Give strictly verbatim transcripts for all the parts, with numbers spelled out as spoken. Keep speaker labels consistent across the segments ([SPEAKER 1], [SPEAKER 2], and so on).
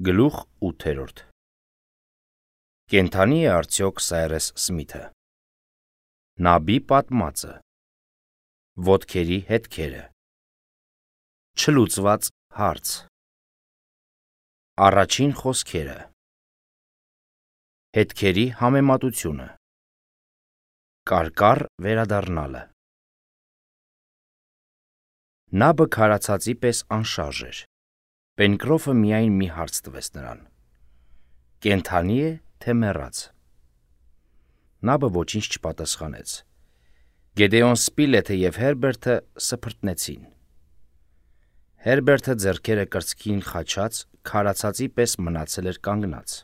[SPEAKER 1] Գլուխ ութերորդ Կենդանի է արդյոք Սայրես Սմիթը։ Նաբի պատմածը։ Ոտքերի հետքերը։ Չլուծված հարց։ Առաջին խոսքերը։ Հետքերի համեմատությունը։ Կարկառ վերադառնալը։ Նաբը քարացածի պես անշարժ էր։ Պենկրոֆը միայն մի հարց տվեց նրան. կենդանի է, թե մեռած։ Նաբը ոչինչ չպատասխանեց։ Գեդեոն Սպիլեթը և Հերբերտը սփրտնեցին։ Հերբերտը ձեռքերը կրծքին խաչած, քարացածի պես մնացել էր կանգնած,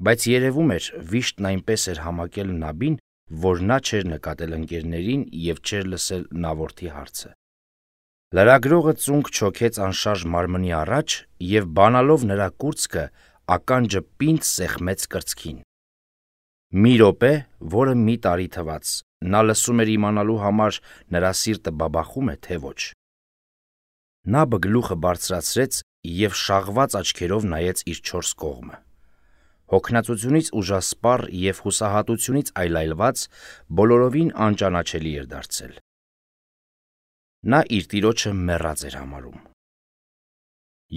[SPEAKER 1] բայց երևում էր, վիշտն այնպես էր համակել Նաբին, որ նա չէր նկատել ընկերներին և չէր լսել նավորդի հարցը։ Լրագրողը ծունկ չոքեց անշարժ մարմնի առաջ և բանալով նրա կուրծքը, ականջը պինդ սեղմեց կրծքին։ Մի րոպե, որը մի տարի թվաց, նա լսում էր իմանալու համար նրա սիրտը բաբախում է, թե ոչ։ Նաբը գլուխը բարձրացրեց և շաղված աչքերով նայեց իր չորս կողմը։ Հոգնածությունից ուժասպառ և հուսահատությունից այլայլված, բոլորովին անճանաչելի էր դարձել։ Նա իր տիրոջը մեռած էր համարում։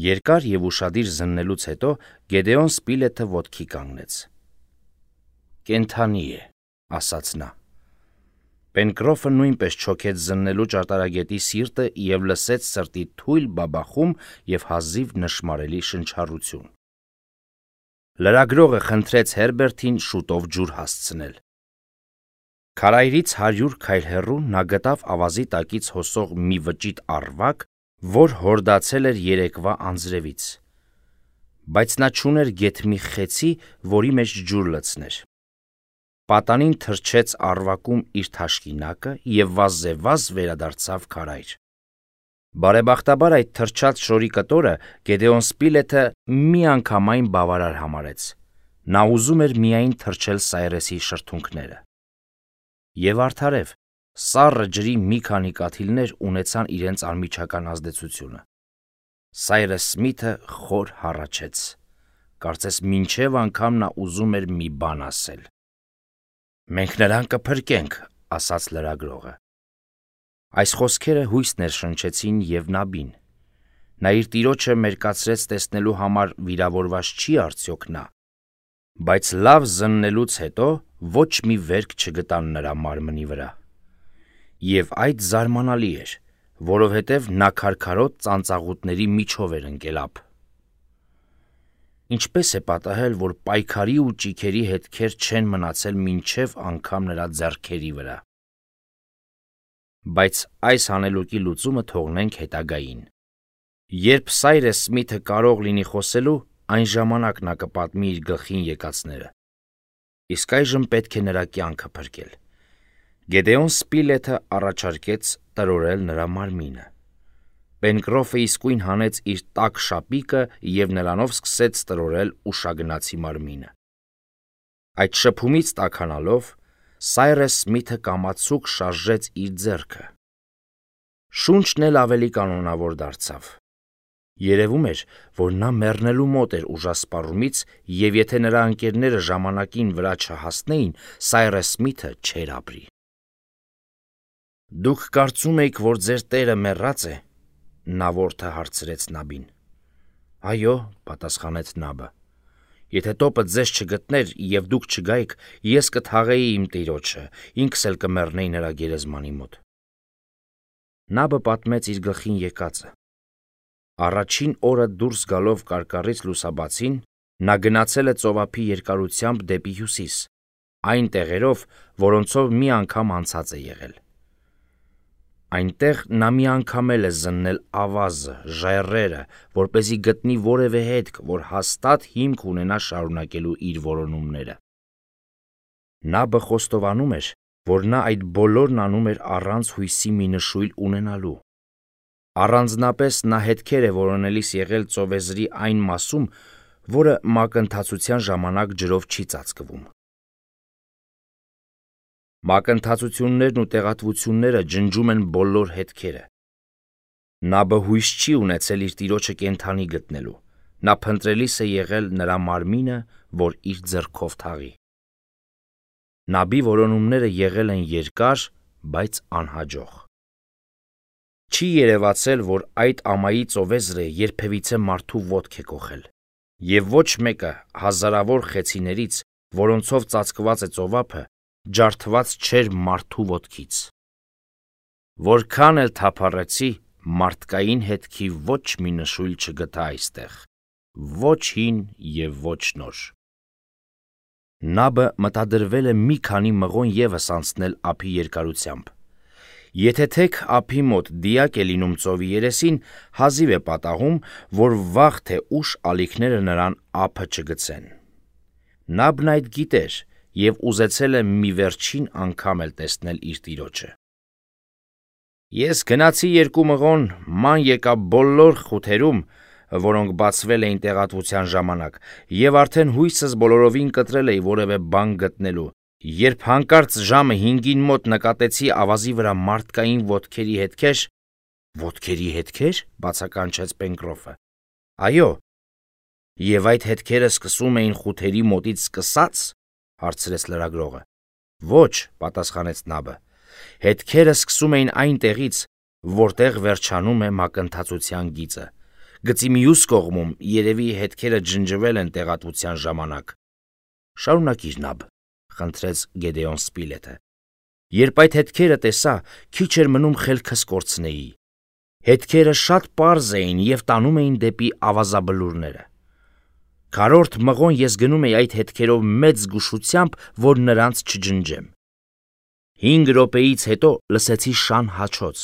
[SPEAKER 1] Երկար և ուշադիր զննելուց հետո Գեդեոն Սպիլեթը ոտքի կանգնեց։ Կենդանի է, ասաց նա։ Պենկրոֆը նույնպես չոքեց զննելու ճարտարագետի սիրտը և լսեց սրտի թույլ բաբախում և հազիվ նշմարելի շնչառություն։ Լրագրողը խնդրեց Հերբերտին շուտով ջուր հասցնել։ Քարայրից հարյուր քայլ հեռու նա գտավ ավազի տակից հոսող մի վճիտ առվակ, որ հորդացել էր երեկվա անձրևից, բայց նա չուներ գեթ մի խեցի, որի մեջ ջուր լցներ։ Պատանին թրջեց առվակում իր թաշկինակը և վազզեվազ վերադարձավ քարայր։ Բարեբախտաբար այդ թրջած շորի կտորը Գեդեոն Սպիլեթը միանգամայն բավարար համարեց։ Նա ուզում էր միայն թրջել Սայրեսի շրթունքները։ Եվ արդարև, սառը ջրի մի քանի կաթիլներ ունեցան իրենց անմիջական ազդեցությունը։ Սայրես Սմիթը խոր հառաչեց։ Կարծես մինչև անգամ նա ուզում էր մի բան ասել։ «Մենք նրան կփրկենք», ասաց լրագրողը։ Այս խոսքերը հույս ներշնչեցին և Նաբին։ Նա իր տիրոջը մերկացրեց տեսնելու համար վիրավորված չի արդյոք նա, բայց լավ զննելուց հետո ոչ մի վերք չգտան նրա մարմնի վրա։ Եվ այդ զարմանալի էր, որովհետև նա քարքարոտ ծանծաղուտների միջով էր ընկել ափ։ Ինչպես է պատահել, որ պայքարի ու ճիգերի հետքեր չեն մնացել մինչև անգամ նրա ձեռքերի վրա։ Բայց այս հանելուկի լուծումը թողնենք հետագային։ Երբ Սայրես Սմիթը կարող լինի խոսելու, այն ժամանակ նա կպատմի իր գլխին եկածները։ Իսկ այժմ պետք է նրա կյանքը փրկել։ Գեդեոն Սպիլեթը առաջարկեց տրորել նրա մարմինը։ Պենկրոֆը իսկույն հանեց իր տաք շապիկը և նրանով սկսեց տրորել ուշագնացի մարմինը։ Այդ շփումից տաքանալով, Սայրես Սմիթը կամացուկ շարժեց իր ձեռքը։ Շունչն էլ ավելի կանոնավոր դարձավ։ Երևում էր, որ նա մեռնելու մոտ էր ուժասպառումից, և եթե նրա ընկերները ժամանակին վրա չհասնեին, Սայրես Սմիթը չէր ապրի։ «Դուք կարծում էիք, որ ձեր տերը մեռած է», նավորդը հարցրեց Նաբին։ «Այո», պատասխանեց Նաբը։ «Եթե տոպը ձեզ չգտներ և դուք չգայիք, ես կթաղեի իմ տիրոջը, ինքս էլ կմեռնեի նրա գերեզմանի մոտ»։ Նաբը պատմեց իր գլխին եկածը։ Առաջին օրը դուրս գալով կարկառից լուսաբացին, նա գնացել է ծովափի երկարությամբ դեպի հյուսիս, այն տեղերով, որոնցով մի անգամ անցած է եղել։ Այնտեղ նա մի անգամ էլ է զննել ավազը, ժայռերը, որպեսզի գտնի որևէ հետք, որ հաստատ հիմք ունենա շարունակելու իր որոնումները։ Նաբը խոստովանում էր, որ նա այդ բոլորն անում էր առանց հույսի մի նշույլ ունենալու։ Առանձնապես նա հետքեր է որոնելիս եղել ծովեզրի այն մասում, որը մակընթացության ժամանակ ջրով չի ծածկվում։ Մակընթացություններն ու տեղատվությունները ջնջում են բոլոր հետքերը։ Նաբը հույս չի ունեցել իր տիրոջը կենդանի գտնելու, նա փնտրելիս է եղել նրա մարմինը, որ իր ձեռքով թաղի։ Նաբի որոնումները եղել են երկար, բայց անհաջող։ Չի երևացել, որ այդ ամայի ծովեզրը երբևիցե մարդու ոտք է կոխել, և ոչ մեկը հազարավոր խեցիներից, որոնցով ծածկված է ծովափը, ջարդված չէր մարդու ոտքից։ Որքան էլ թափառեցի, մարդկային հետքի ոչ մի նշույլ չգտա այստեղ, ոչ հին և ոչ նոր։ Նաբը մտադրվել է մի քանի մղոն ևս անցնել ափի երկարությամբ։ Եթե թեք ափի մոտ դիակ է լինում ծովի երեսին, հազիվ է պատահում, որ վաղ թե ուշ ալիքները նրան ափը չգցեն։ Նաբն այդ գիտեր և ուզեցել է մի վերջին անգամ էլ տեսնել իր տիրոջը։ Ես գնացի երկու մղոն, ման եկա բոլոր խութերում, որոնք բացվել էին տեղատվության ժամանակ, և արդեն հույսս բոլորովին կտրել էի որևէ բան գտնելու, երբ հանկարծ ժամը հինգին մոտ նկատեցի ավազի վրա մարդկային ոտքերի հետքեր։ Ոտքերի հետքեր, բացականչեց Պենկրոֆը։ Այո։ Եվ այդ հետքերը սկսում էին խութերի մոտից սկսած, հարցրեց լրագրողը։ Ոչ, պատասխանեց Նաբը, հետքերը սկսում էին այնտեղից, որտեղ վերջանում է մակընթացության գիծը։ Գծի մյուս կողմում երևի հետքերը ջնջվել են տեղատվության ժամանակ։ Շարունակիր, Նաբ, խնդրեց Գեդեոն Սպիլեթը։ Երբ այդ հետքերը տեսա, քիչ էր մնում խելքս կորցնեի։ Հետքերը շատ պարզ էին և տանում էին դեպի ավազաբլուրները։ Քառորդ մղոն ես գնում էի այդ հետքերով մեծ զգուշությամբ, որ նրանց չջնջեմ։ Հինգ րոպեից հետո լսեցի շան հաչոց։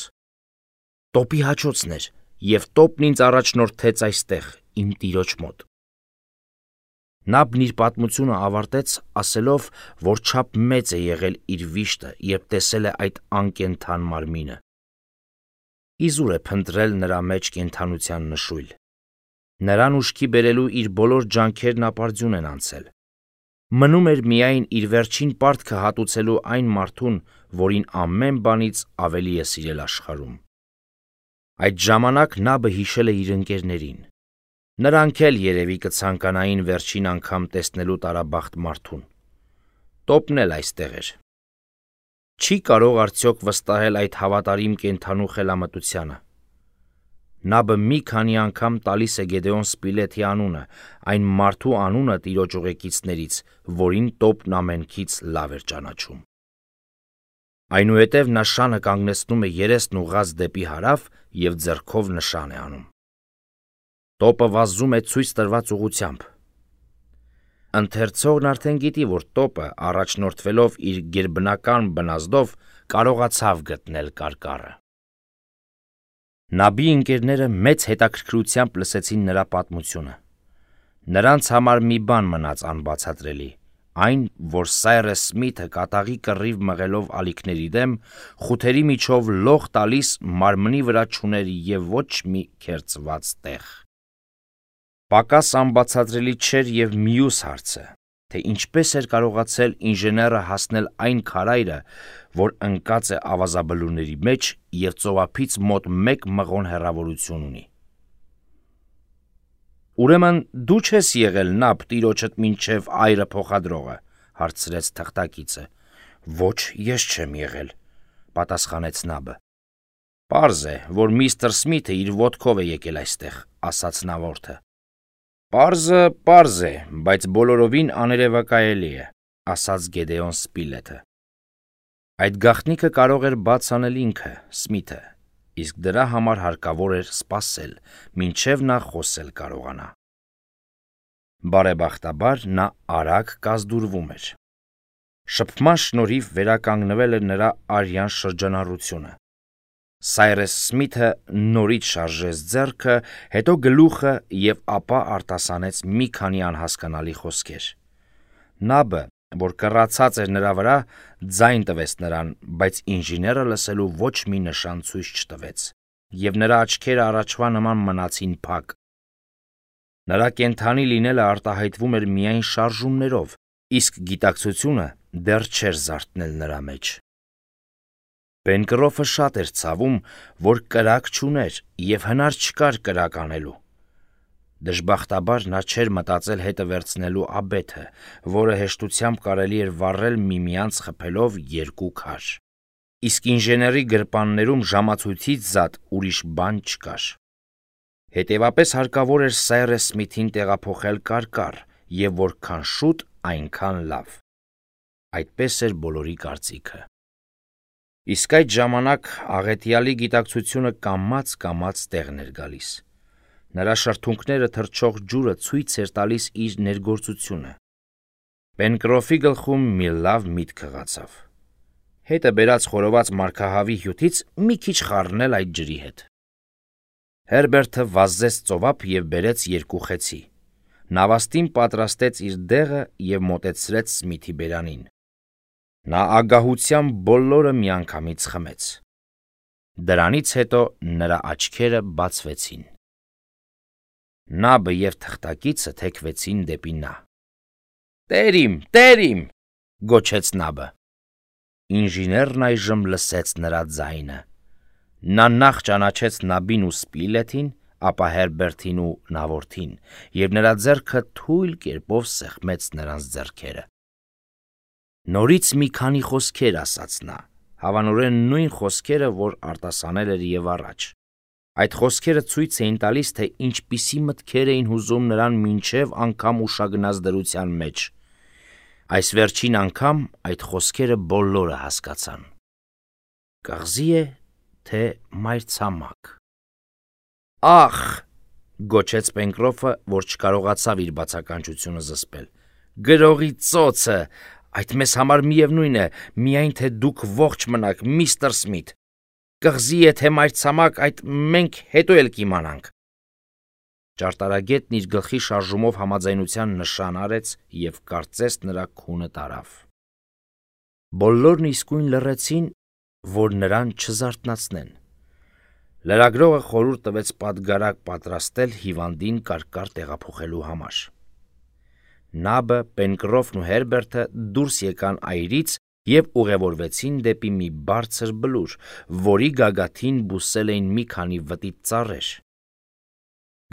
[SPEAKER 1] Տոպի հաչոցն էր, և տոպն ինձ առաջնորդեց այստեղ, իմ տիրոջ մոտ։ Նաբն իր պատմությունը ավարտեց, ասելով, որ չափ մեծ է եղել իր վիշտը, երբ տեսել է այդ անկենդան մարմինը։ Իզուր է փնտրել նրա մեջ կենդանության նշույլ։ Նրան ուշքի բերելու իր բոլոր ջանքերն ապարդյուն են անցել։ Մնում էր միայն իր վերջին պարտքը հատուցելու այն մարդուն, որին ամեն բանից ավելի է սիրել աշխարհում։ Այդ ժամանակ Նաբը հիշել է իր ընկերներին։ Նրանք էլ երևի կցանկանային վերջին անգամ տեսնելու տարաբախտ մարդուն։ Տոպն էլ այստեղ էր։ Չի կարող արդյոք վստահել այդ հավատարիմ կենդանու խելամտությանը։ Նաբը մի քանի անգամ տալիս է Գեդեոն Սպիլեթի անունը, այն մարդու անունը տիրոջ ուղեկիցներից, որին տոպն ամենքից լավ էր ճանաչում։ Այնուհետև նա շանը կանգնեցնում է երեսն ուղղած դեպի հարավ և ձեռքով նշան է անում։ Տոպը վազում է ցույց տրված ուղղությամբ։ Ընթերցողն արդեն գիտի, որ տոպը, առաջնորդվելով իր գերբնական բնազդով, կարողացավ գտնել կարկառը։ Նաբի ընկերները մեծ հետաքրքրությամբ լսեցին նրա պատմությունը։ Նրանց համար մի բան մնաց անբացատրելի, այն, որ Սայրես Սմիթը կատաղի կռիվ մղելով ալիքների դեմ, խութերի միջով լող տալիս մարմնի վրա չուներ և ոչ մի քերծված տեղ։ Պակաս անբացատրելի չէր և մյուս հարցը, թե ինչպես էր կարողացել ինժեները հասնել այն քարայրը, որ ընկած է ավազաբլուրների մեջ և ծովափից մոտ մեկ մղոն հեռավորություն ունի։ Ուրեմն դու չես եղել Նաբ տիրոջդ մինչև այրը փոխադրողը, հարցրեց թղթակիցը։ Ոչ, ես չեմ եղել, պատասխանեց Նաբը։ Պարզ է, որ միստր Սմիթը իր ոտքով է եկել այստեղ, ասաց նավորդը։ Պարզը պարզ է, բայց բոլորովին աներևակայելի է, ասաց Գեդեոն Սպիլեթը։ Այդ գաղտնիքը կարող էր բաց անել ինքը, Սմիթը, իսկ դրա համար հարկավոր էր սպասել, մինչև նա խոսել կարողանա։ Բարեբախտաբար նա արագ կազդուրվում էր։ Շփման շնորհիվ վերականգնվել էր նրա արյան շրջանառությունը։ Սայրես Սմիթը նորից շարժեց ձեռքը, հետո գլուխը և ապա արտասանեց մի քանի անհասկանալի խոսքեր։ Նաբը, որ կռացած էր նրա վրա, ձայն տվեց նրան, բայց ինժեները լսելու ոչ մի նշան ցույց չտվեց, և նրա աչքերը առաջվա նման մնացին փակ։ Նրա կենդանի լինելը արտահայտվում էր միայն շարժումներով, իսկ գիտակցությունը դեռ չէր զարթնել նրա մեջ։ Պենկրոֆը շատ էր ցավում, որ կրակ չուներ և հնար չկար կրակ անելու։ Դժբախտաբար նա չէր մտածել հետը վերցնելու աբեթը, որը հեշտությամբ կարելի էր վառել միմյանց խփելով երկու քար։ Իսկ ինժեների գրպաններում ժամացույցից զատ ուրիշ բան չկար։ Հետևապես հարկավոր էր Սայրես Սմիթին տեղափոխել կարկառ, եւ որքան շուտ, այնքան լավ։ Այդպես էր բոլորի կարծիքը։ Իսկ այդ ժամանակ աղետյալի գիտակցությունը կամաց-կամաց տեղն էր գալիս։ Նրա շրթունքները թռչող ջուրը ցույց էր տալիս իր ներգործությունը։ Պենկրոֆի գլխում մի լավ միտք հղացավ։ Հետը բերած խորոված մարգահավի հյութից մի քիչ խառնել այդ ջրի հետ։ Հերբերտը վազեց ծովափ եւ բերեց երկու խեցի։ Նավաստին պատրաստեց իր դեղը եւ մոտեցրեց Սմիթի բերանին։ Նա ագահությամբ բոլորը միանգամից խմեց։ Դրանից հետո նրա աչքերը բացվեցին։ Նաբը եւ թղթակիցը թեքվեցին դեպի նա։ «Տեր իմ, տեր իմ», գոչեց նաբը։ Ինժեներն այժմ լսեց նրա ձայնը։ Նա նախ ճանաչեց նաբին ու Սպիլեթին, ապա Հերբերտին ու նավորդին, եւ նրա ձեռքը թույլ կերպով սեղմեց նրանց ձեռքերը։ Նորից մի քանի խոսքեր ասաց նա, հավանորեն նույն խոսքերը, որ արտասանել էր եւ առաջ։ Այդ խոսքերը ցույց էին տալիս, թե ինչպիսի մտքեր էին հուզում նրան մինչև անգամ ուշագնաց դրության մեջ։ Այս վերջին անգամ այդ խոսքերը բոլորը հասկացան։ Կղզի է, թե մայրցամաք։ Ախ, գոչեց Պենկրոֆը, որ չկարողացավ իր բացականչությունը զսպել։ Գրողի ծոցը, այդ մեզ համար միևնույն է, միայն թե դուք ողջ մնաք, միստր Սմիթ։ Կղզի է, թե մայրցամաք, այդ մենք հետո էլ կիմանանք։ Ճարտարագետն իր գլխի շարժումով համաձայնության նշան արեց եւ կարծես նրա քունը տարավ։ Բոլորն իսկույն լռեցին, որ նրան չզարթնացնեն։ Լրագրողը խորհուրդ տվեց պատգարակ պատրաստել հիվանդին կարկառ տեղափոխելու համար։ Նաբը, Պենկրոֆն ու Հերբերտը դուրս եկան այրից եւ ուղևորվեցին դեպի մի բարձր բլուր, որի գագաթին բուսել էին մի քանի վտիտ ծառեր։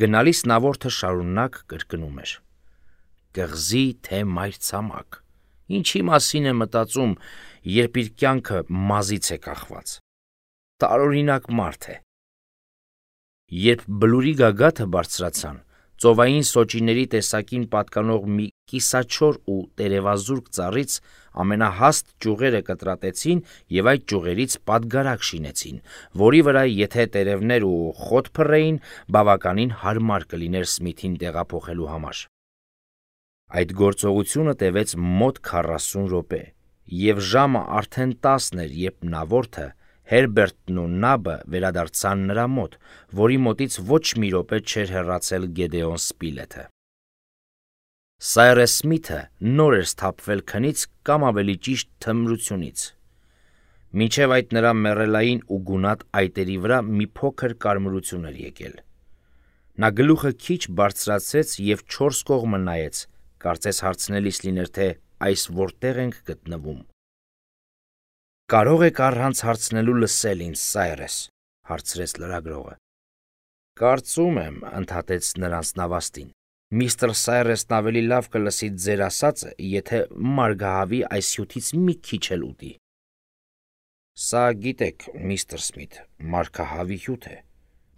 [SPEAKER 1] Գնալիս նավորդը շարունակ կրկնում էր. «Կղզի, թե մայրցամաք, ինչի մասին է մտածում, երբ իր կյանքը մազից է կախված։ Տարօրինակ մարդ է»։ Երբ բլուրի գագաթը բարձրացան, ծովային սոճիների տեսակին պատկանող մի կիսաչոր ու տերևազուրկ ծառից ամենահաստ ճյուղերը կտրատեցին եւ այդ ճյուղերից պատգարակ շինեցին, որի վրա եթե տերևներ ու խոտ փռեին, բավականին հարմար կլիներ Սմիթին տեղափոխելու համար։ Այդ գործողությունը տևեց մոտ քառասուն րոպե, եւ ժամը արդեն տասն էր, երբ նավորդը, Հերբերտն ու նաբը վերադարձան նրա մոտ, որի մոտից ոչ մի րոպե չէր հեռացել Գեդեոն Սպիլեթը։ Սայրես Սմիթը նոր էր սթափվել քնից կամ ավելի ճիշտ թմրությունից։ Մինչև այդ նրա մեռելային ու գունատ այտերի վրա մի փոքր կարմրություն էր եկել։ Նա գլուխը քիչ բարձրացրեց եւ չորս կողմը նայեց, կարծես հարցնելիս լիներ, թե այս որտեղ ենք գտնվում։ Կարող եք առանց հարցնելու լսել ինձ, Սայրես, հարցրեց լրագրողը։ Կարծում եմ, ընդհատեց նրանց նավաստին, միստր Սայրեսն ավելի լավ կլսի ձեր ասածը, եթե մարգահավի այս հյութից մի քիչ էլ ուտի։ Սա գիտեք, միստր Սմիթ, մարգահավի հյութ է,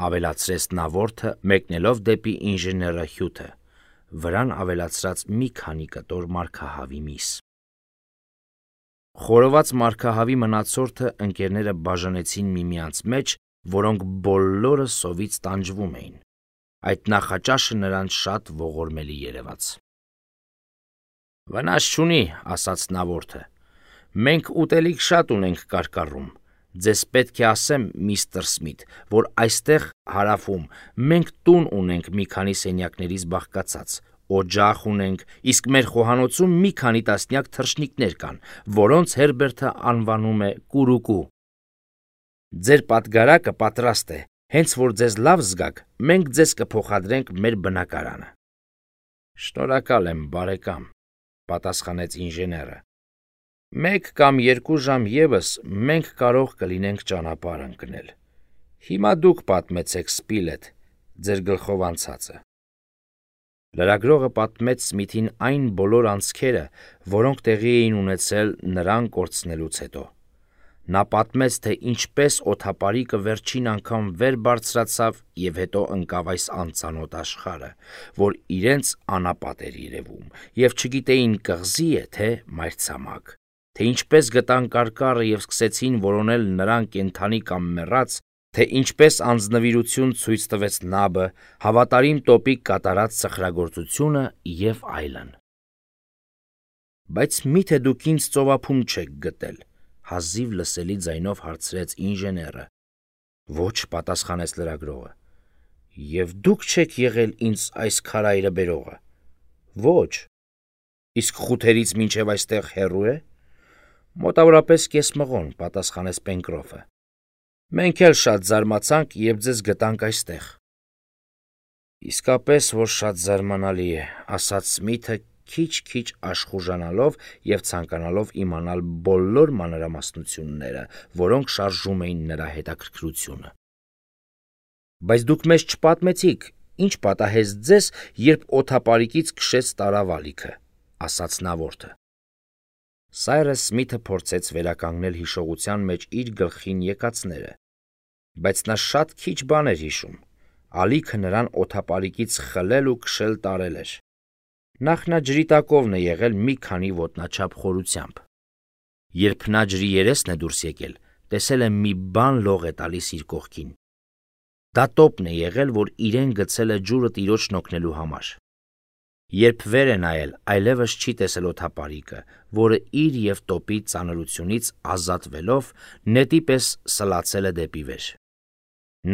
[SPEAKER 1] ավելացրեց նավորդը, մեկնելով դեպի ինժեները հյութը, վրան ավելացրած մի քանի կտոր մարգահավի միս։ Խորոված մարգահավի մնացորդը ընկերները բաժանեցին միմյանց մեջ, որոնք բոլորը սովից տանջվում էին։ Այդ նախաճաշը նրանց շատ ողորմելի երևաց։ Վնաս չունի, ասաց նավորդը։ Մենք ուտելիք շատ ունենք կարկառում։ Ձեզ պետք է ասեմ, միստր Սմիթ, որ այստեղ հարավում մենք տուն ունենք մի քանի սենյակներից բաղկացած, օջախ ունենք, իսկ մեր խոհանոցում մի քանի տասնյակ թռչնիկներ կան, որոնց Հերբերտը անվանում է կուրուկու։ Ձեր պատգարակը պատրաստ է, հենց որ ձեզ լավ զգաք, մենք ձեզ կփոխադրենք մեր բնակարանը։ Շնորհակալ եմ, բարեկամ, պատասխանեց ինժեները։ Մեկ կամ երկու ժամ ևս մենք կարող կլինենք ճանապարհ ընկնել։ Հիմա դուք պատմեցեք Սպիլեթ, ձեր գլխով անցածը։ Լրագրողը պատմեց Սմիթին այն բոլոր անցքերը, որոնք տեղի էին ունեցել նրան կորցնելուց հետո։ Նա պատմեց, թե ինչպես օդապարիկը վերջին անգամ վեր բարձրացավ և հետո ընկավ այս անծանոթ աշխարհը, որ իրենց անապատ էր երևում, և չգիտեին կղզի է, թե մայրցամաք, թե ինչպես գտան կարկառը և սկսեցին որոնել նրան կենդանի կամ մեռած, թե ինչպես անձնվիրություն ցույց տվեց նաբը, հավատարիմ տոպիկ կատարած սխրագործությունը և այլն։ Բայց մի՞թե դուք ինձ ծովափում չեք գտել, հազիվ լսելի ձայնով հարցրեց ինժեները։ Ոչ, պատասխանեց լրագրողը։ Եվ դուք չեք եղել ինձ այս քարայրը բերողը։ Ոչ։ Իսկ խութերից մինչև այստեղ հեռու է։ Մոտավորապես կես մղոն, պատասխանեց Պենկրոֆը։ Մենք էլ շատ զարմացանք, երբ ձեզ գտանք այստեղ։ Իսկապես, որ շատ զարմանալի է, ասաց Սմիթը քիչ-քիչ աշխուժանալով և ցանկանալով իմանալ բոլոր մանրամասնությունները, որոնք շարժում էին նրա հետաքրքրությունը։ Բայց դուք մեզ չպատմեցիք, ինչ պատահեց ձեզ, երբ օդապարիկից քշեց տարավալիքը, ասաց նա որդը։ Սայրս Սմիթը փորձեց վերականգնել հիշողության մեջ իր գլխին եկածները, բայց նա շատ քիչ բան էր հիշում։ Ալիքը նրան օդապարիկից խլել ու քշել տարել էր։ Նախ նա ջրի տակովն է եղել մի քանի ոտնաչափ խորությամբ։ Երբ նա ջրի երեսն է դուրս եկել, տեսել է մի բան լող է տալիս իր կողքին։ Դա տոպն է եղել, որ իրեն գցել է ջուրը տիրոջն օգնելու համար։ Երբ վեր է նայել, այլևս չի տեսել օդապարիկը, որը իր և տոպի ծանրությունից ազատվելով նետի պես սլացել է դեպի վեր։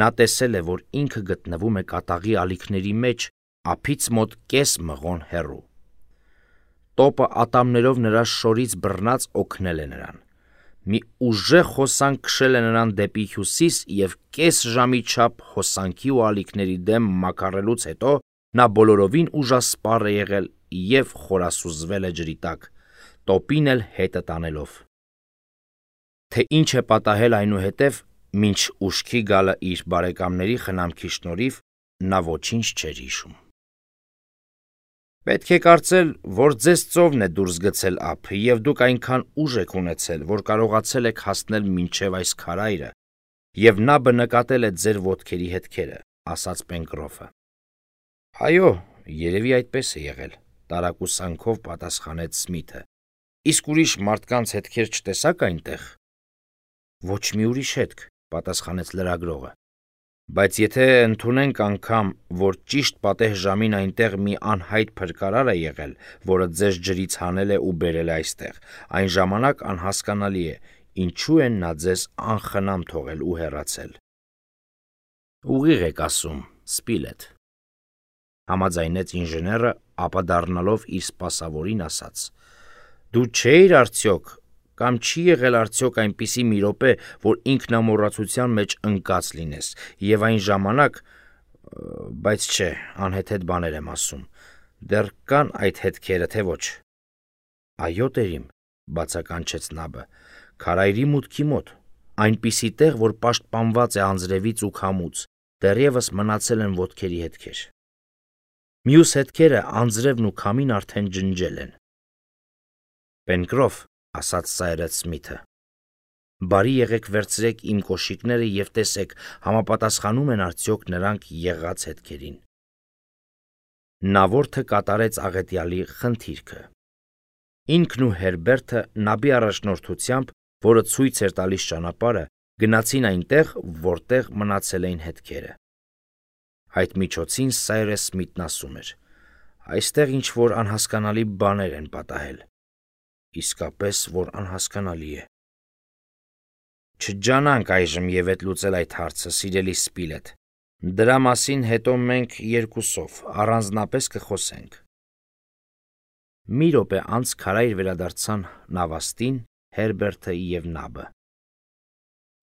[SPEAKER 1] Նա տեսել է, որ ինքը գտնվում է կատաղի ալիքների մեջ, ափից մոտ կես մղոն հեռու։ Տոպը ատամներով նրա շորից բռնած օգնել է նրան։ Մի ուժեղ հոսանք քշել է նրան դեպի հյուսիս և կես ժամի չափ հոսանքի ու ալիքների դեմ մաքարելուց հետո նա բոլորովին ուժասպառ է եղել և խորասուզվել է ջրի տակ, տոպին էլ հետը տանելով։ Թե ինչ է պատահել այնուհետև, մինչ ուշքի գալը իր բարեկամների խնամքի շնորհիվ, նա ոչինչ չէր հիշում։ Պետք է կարծել, որ ձեզ ծովն է դուրս գցել ափ, և դուք այնքան ուժ եք ունեցել, որ կարողացել եք հասնել մինչև այս քարայրը, և նաբը նկատել է ձեր ոտքերի հետքերը, ասաց Պենկրոֆը։ Այո, երևի այդպես է եղել, տարակուսանքով պատասխանեց Սմիթը։ Իսկ ուրիշ մարդկանց հետքեր չտեսաք այնտեղ։ Ոչ մի ուրիշ հետք, պատասխանեց լրագրողը։ Բայց եթե ընդունենք անգամ, որ ճիշտ պատեհ ժամին այնտեղ մի անհայտ փրկարար է եղել, որը ձեզ ջրից հանել է ու բերել է այստեղ, այն ժամանակ անհասկանալի է, ինչու են նա ձեզ անխնամ թողել ու հեռացել։ Ուղիղ եք ասում, Սպիլետ, համաձայնեց ինժեները, ապա դառնալով իր սպասավորին ասաց. Դու չէիր արդյոք, կամ չի եղել արդյոք այնպիսի մի րոպե, որ ինքնամոռացության մեջ ընկած լինես, և այն ժամանակ, բայց չէ, անհեթեթ բաներ եմ ասում, դեռ կան այդ հետքերը, թե ոչ։ Այո, տերիմ, բացականչեց նաբը, քարայրի մուտքի մոտ, այնպիսի տեղ, որ պաշտպանված է անձրևից ու քամուց, դեռևս մնացել են ոտքերի հետքեր։ Մյուս հետքերը անձրևն ու քամին արդեն ջնջել են։ Պենկրոֆ, ասաց Սայրս Սմիթը, բարի եղեք վերցրեք իմ կոշիկները և տեսեք, համապատասխանում են արդյոք նրանք եղած հետքերին։ Նա որդը կատարեց աղետյալի խնդիրքը։ Ինքն ու Հերբերտը նաբի առաջնորդությամբ, որը ցույց էր տալիս ճանապարհը, գնացին այնտեղ, որտեղ մնացել էին հետքերը։ Այդ միջոցին Սայրս Սմիթն ասում էր. այստեղ ինչ-որ անհասկանալի բաներ են պատահել։ Իսկապես, որ անհասկանալի է։ Չջանանք այժմ և հետ լուծել այդ հարցը, սիրելի Սպիլետ։ Դրա մասին հետո մենք երկուսով առանձնապես կխոսենք։ Մի րոպե անց քարայր վերադարձան նավաստին, Հերբերտը և նաբը։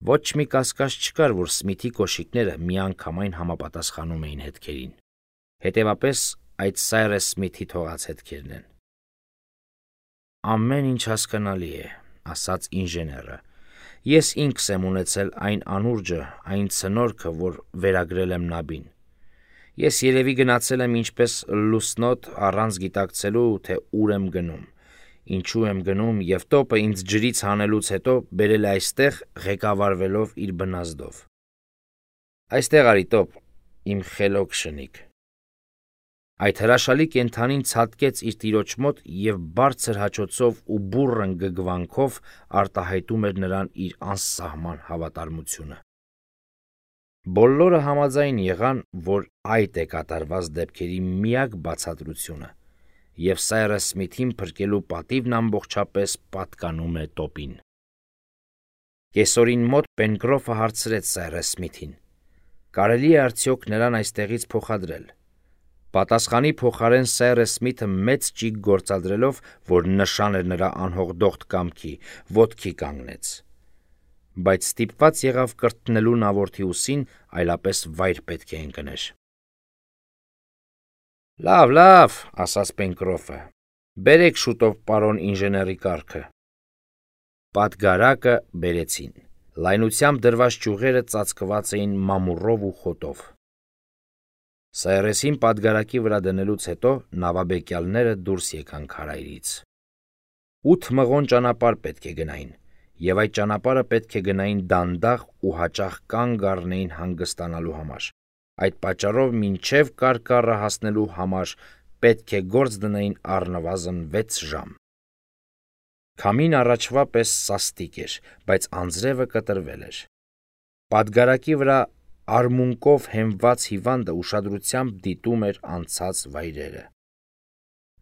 [SPEAKER 1] Ոչ մի կասկած չկար, որ Սմիթի կոշիկները միանգամայն համապատասխանում էին հետքերին։ Հետևապես այդ Սայրս Սմիթի թողած հետքերն են։ Ամեն ինչ հասկանալի է, ասաց ինժեները։ Ես ինքս եմ ունեցել այն անուրջը, այն ցնորքը, որ վերագրել եմ նաբին։ Ես երևի գնացել եմ ինչպես լուսնոտ առանց գիտակցելու, թե ուր եմ գնում, ինչու եմ գնում, և տոպը ինձ ջրից հանելուց հետո բերել է այստեղ ղեկավարվելով իր բնազդով։ Այստեղ արի տոպ, իմ խելոք շնիկ։ Այդ հրաշալի կենդանին ցատկեց իր տիրոջ մոտ և բարձր հաչոցով ու բուռն գգվանքով արտահայտում էր նրան իր անսահման հավատարմությունը։ Բոլորը համաձայն եղան, որ այդ է կատարված դեպքերի միակ բացատրությունը, և Սայրս Սմիթին փրկելու պատիվն ամբողջապես պատկանում է տոպին։ Կեսօրին մոտ Պենկրոֆը հարցրեց Սայրս Սմիթին. կարելի է արդյոք նրան այստեղից փոխադրել։ Պատասխանի փոխարեն Սայրս Սմիթը մեծ ճիգ գործադրելով, որ նշան էր նրա անհոգդոխտ կամքի, ոտքի կանգնեց, բայց ստիպված եղավ կրտնելու նավորդի ուսին, այլապես վայր պետք է ընկներ։ Լավ, լավ, ասաց Պենկրոֆը, բերեք շուտով պարոն ինժեների կառքը։ Պատգարակը բերեցին։ Լայնությամբ դրված ճյուղերը ծածկված էին մամուռով ու խոտով։ Սայրեսին պատգարակի վրա դնելուց հետո նավաբեկյալները դուրս եկան քարայրից։ Ութ մղոն ճանապարհ պետք է գնային, և այդ ճանապարհը պետք է գնային դանդաղ ու հաճախ կանգ առնեին հանգստանալու համար։ Այդ պատճառով մինչև կարկառը հասնելու համար պետք է գործ դնեին առնվազն վեց ժամ։ Քամին առաջվա պես սաստիկ էր, բայց անձրևը կտրվել էր։ Պատգարակի վրա արմունկով հենված հիվանդը ուշադրությամբ դիտում էր անցած վայրերը։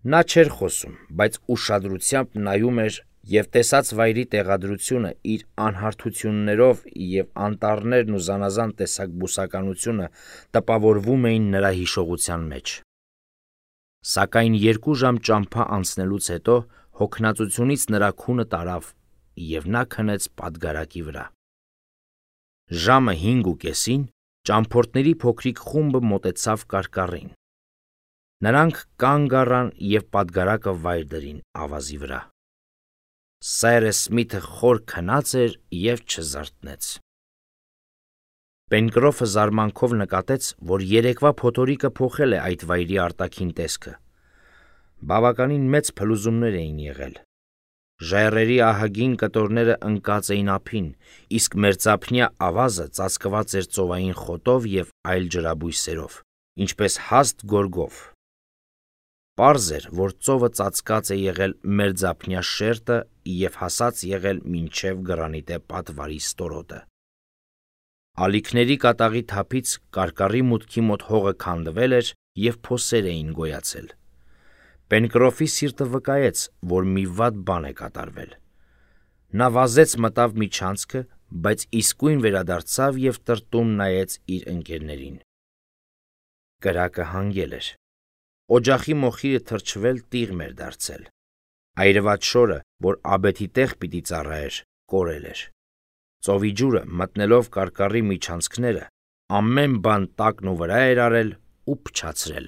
[SPEAKER 1] Նա չէր խոսում, բայց ուշադրությամբ նայում էր, և տեսած վայրի տեղադրությունը իր անհարթություններով և անտառներն ու զանազան տեսակ բուսականությունը տպավորվում էին նրա հիշողության մեջ։ Սակայն երկու ժամ ճամփա անցնելուց հետո հոգնածությունից նրա քունը տարավ, և նա քնեց պատգարակի վրա։ Ժամը հինգ ու կեսին ճամփորդների փոքրիկ խումբը մոտեցավ կարկառին։ Նրանք կանգ առան և պատգարակը վայր դրին ավազի վրա։ Սայրս Սմիթը խոր քնած էր և չզարթնեց։ Պենկրոֆը զարմանքով նկատեց, որ երեկվա փոթորիկը փոխել է այդ վայրի արտաքին տեսքը։ Բավականին մեծ փլուզումներ էին եղել։ Ժայռերի ահագին կտորները ընկած էին ափին, իսկ մերձափնյա ավազը ծածկված էր ծովային խոտով և այլ ջրաբույսերով, ինչպես հաստ գորգով։ Պարզ էր, որ ծովը ծածկած է եղել մերձափնյա շերտը և հասած եղել մինչև գրանիտե պատվարի ստորոտը։ Ալիքների կատաղի թափից կարկառի մուտքի մոտ հողը քանդվել էր և փոսեր էին գոյացել։ Պենկրոֆի սիրտը վկայեց, որ մի վատ բան է կատարվել։ Նա վազեց մտավ միջանցքը, բայց իսկույն վերադարձավ և տրտում նայեց իր ընկերներին։ Կրակը հանգել էր։ Օջախի մոխիրը թրջվել տիղմ էր դարձել։ Այրված շորը, որ աբեթի տեղ պիտի ծառայեր, կորել էր։ Ծովի ջուրը, մտնելով կարկառի միջանցքները, ամեն բան տակն ու վրա էր արել ու փչացրել։